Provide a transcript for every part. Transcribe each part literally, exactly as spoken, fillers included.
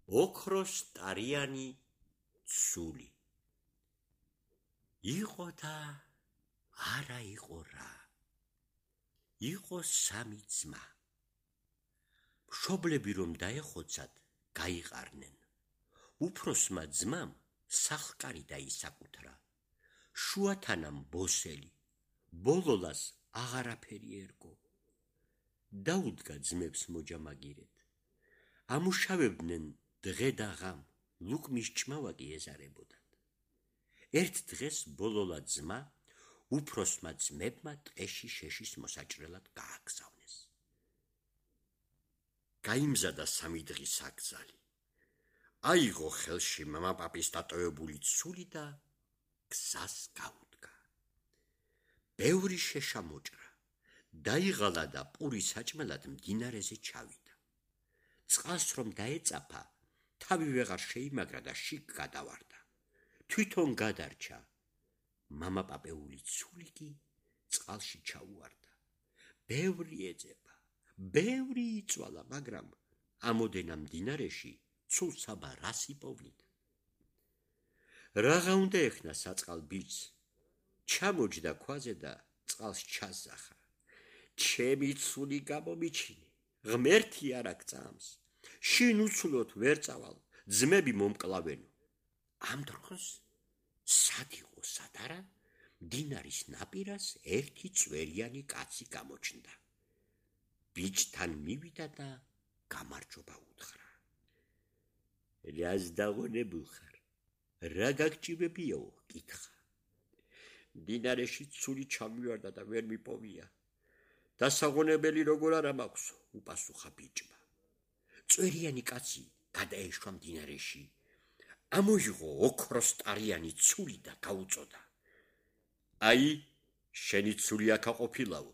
ოქროს ტარიანი ცული. იყო და არა იყო რა. იყო სამი ძმა. მშობლები რომ დაეხოცათ, გაიყარნენ. უფროსმა ძმამ სახლკარი დაისაკუთრა. შუათანამ ბოსელი, ბოლოლას აღარაფერი ერგო. დაუდგა ძმებს მოჯამაგირეთ. ამუშავებდნენ დღე და ღამ, ლუკმის ჭმავაკი ეზარებოდათ. ერთ დღეს ბოლოლა ძმა უფროსმა ძმებმა ტყეში შეშის მოსაჭრელად გააგზავნეს. გაიმზადა სამი დღის აკრძალი. აიღო ხელში მამაპაპის დატოვებული ცული და გზას გაუდგა. ბევრი შეშა მოჭრა, დაიღალა და პურის საჭმელად მდინარეზე ჩავიდა. წყალს რომ დაეწაფა, თავი ვეღარ შეიმაგრა და შიგ გადავარდა. თვითონ გადარჩა. მამაპაპეული ცული კი წყალში ჩაუვარდა. ბევრი ეძება, ბევრი იწვალა, მაგრამ ამოდენა მდინარეში ცულსაბა რას იპოვლიდა. რაღა უნდა ეხნა საწყალ ბიჭს, ჩამოჯდა ქვაზე და წყალს ჩაზახა. ჩემი ცული გამომიჩინე, ღმერთი არ აგწამს. შინ უცვლოდ ვერ წავალ, ძმები მომკლავენო. ამ დროს სად იყო სად არა, მდინარის ნაპირას ერთი წვერიანი კაცი გამოჩნდა. ბიჭთან მივიდა და გამარჯობა უთხრა. რას დაღონებულ ხარ? რა გაგჭირებიაო? კითხა. მდინარეში ცული ჩამივარდა და ვერ მიპოვია. დასაღონებელი როგორ არა მაქვსო? უპასუხა ბიჭმა. წვერიანი კაცი გადაეშვა მდინარეში. ამოიღო ოქროს ტარიანი ცული და გაუწოდა. აი, შენი ცული აქ ყოფილაო.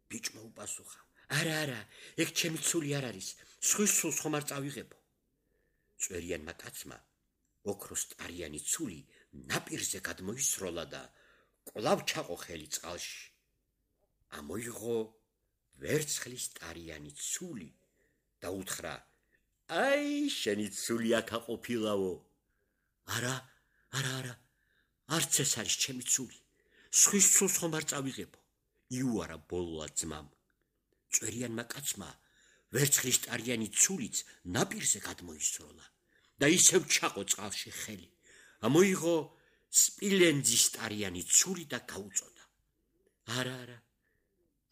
ბიჭმა უპასუხა. არა, არა, ეგ ჩემი ცული არ არის, სხვის ცულს ხომ არ წავიღებო. წვერიანმა კაცმა ოქროს ტარიანი ცული ნაპირზე გადმოისროლა და კვლავ ჩაყო ხელი წყალში. ამოიღო ვერცხლის ტარიანი ცული და უთხრა. აი, შენი ცული აქ ყოფილაო. არა, არა, არა, არც ეს არის ჩემი ცული, სხვის ცულს ხომ არ წავიღებო. იუარა ბოლოლა ძმამ. წვერიანმა კაცმა ვერცხლის ტარიანი ცულიც ნაპირზე გადმოისროლა და ისევ ჩაყო წყალში ხელი. ამოიღო სპილენძის ტარიანი ცული და გაუწოდა. არა, არა,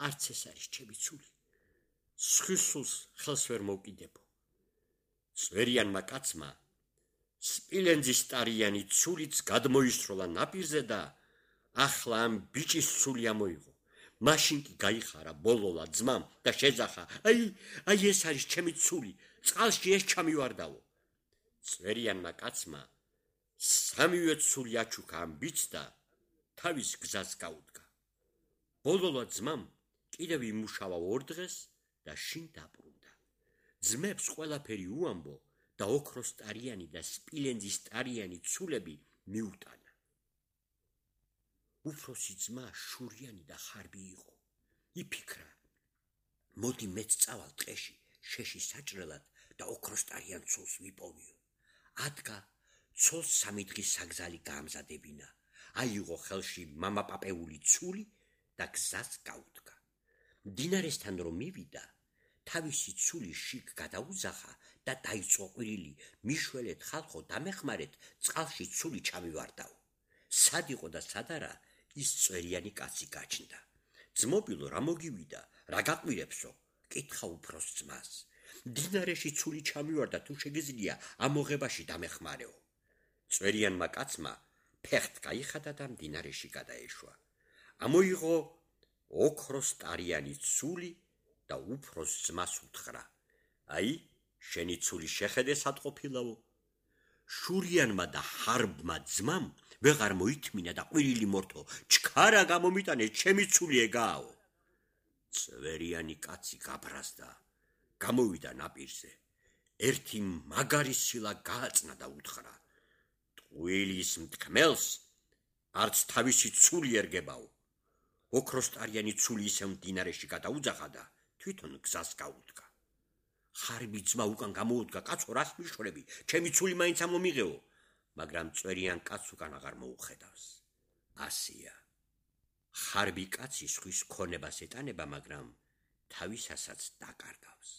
არც ეს არის ჩემი ცული, სხვის ცულს ხელს ვერ მოვკიდებო. წვერიანმა კაცმა სპილენძის ტარიანი ცულიც გადმოისროლა ნაპირზე და ახლა ამ ბიჭის ცული ამოიღო. მაშინ კი გაიხარა ბოლოლა ძმამ და შეძახა. აი, აი ეს არის ჩემი ცული, წყალში ეს ჩამივარდაო. წვერიანმა კაცმა სამივე ცული აჩუქა ამ ბიჭს და თავის გზას გაუდგა. ბოლოლა ძმამ კიდევ იმუშავა ორ დღეს და შინ დაბრუნდა. ძმებს ყველაფერი უამბო და ოქროს ტარიანი და სპილენძის ტარიანი ცულები მიუტანა. უფროსი ძმა შურიანი და ხარბი იყო. იფიქრა, მოდი მეც წავალ ტყეში შეშის საჭრელად და ოქროს ტარიან ცულს ვიპოვიო. ადგა ცოლს სამი დღის საგზალი გაამზადებინა. აიღო ხელში მამაპაპეული ცული და გზას გაუდგა. მდინარესთან რომ მივიდა, თავისი ცული შიგ გადაუძახა და დაიწყო ყვირილი. მიშველეთ ხალხო, დამეხმარეთ, წყალში ცული ჩამივარდაო. სად იყო და სად არა, ის წვერიანი კაცი გაჩნდა. ძმობილო, რა მოგივიდა, რა გაყვირებსო? კითხა უფროს ძმას. მდინარეში ცული ჩამივარდა, თუ შეგიძლია ამოღებაში დამეხმარეო. წვერიანმა კაცმა ფეხთ გაიხადა და მდინარეში გადაეშვა. ამოიღო ოქროს ტარიანი ცული და უფროს ძმას უთხრა. აი, შენი ცული შეხედე სად ყოფილაო. შურიანმა და ხარბმა ძმამ ვეღარ მოითმინა და ყვირილი მორთო. ჩქარა გამომიტანე, ჩემი ცული ეგააო. წვერიანი კაცი გაბრაზდა, გამოვიდა ნაპირზე. ერთი მაგარი სილა გააწნა და უთხრა. ტყუილის მთქმელს არც თავისი ცული ერგებაო. ოქროს ტარიანი ცული ისევ მდინარეში გადაუძახა და თვითონ გზას გაუდგა. ხარბი ძმა უკან გამოუდგა, კაცო, რას მიშვრები? ჩემი ცული მაინც ამომიღეო, მაგრამ წვერიან კაცს უკან აღარ მოუხედავს. ასია. ხარბი კაცი სხვის ქონებას ეტანება, მაგრამ თავისასაც დაკარგავს.